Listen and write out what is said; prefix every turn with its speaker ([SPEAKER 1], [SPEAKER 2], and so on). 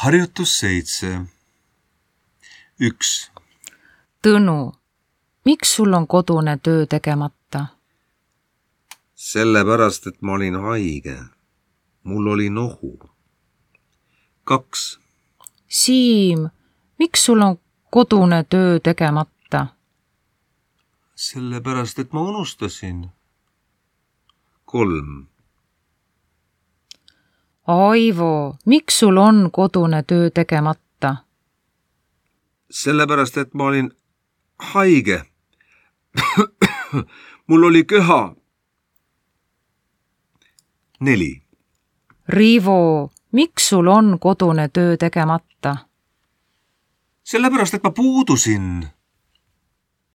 [SPEAKER 1] Harjutus 7. 1.
[SPEAKER 2] Tõnu, miks sul on kodune töö tegemata?
[SPEAKER 1] Sellepärast, et ma olin haige. Mul oli nohu. 2.
[SPEAKER 2] Siim, miks sul on kodune töö tegemata?
[SPEAKER 1] Sellepärast, et ma unustasin. 3.
[SPEAKER 2] Aivo, miks sul on kodune töö tegemata?
[SPEAKER 1] Sellepärast, et ma olin haige. Mul oli köha. 4.
[SPEAKER 2] Riivo, miks sul on kodune töö tegemata?
[SPEAKER 1] Sellepärast, et ma puudusin.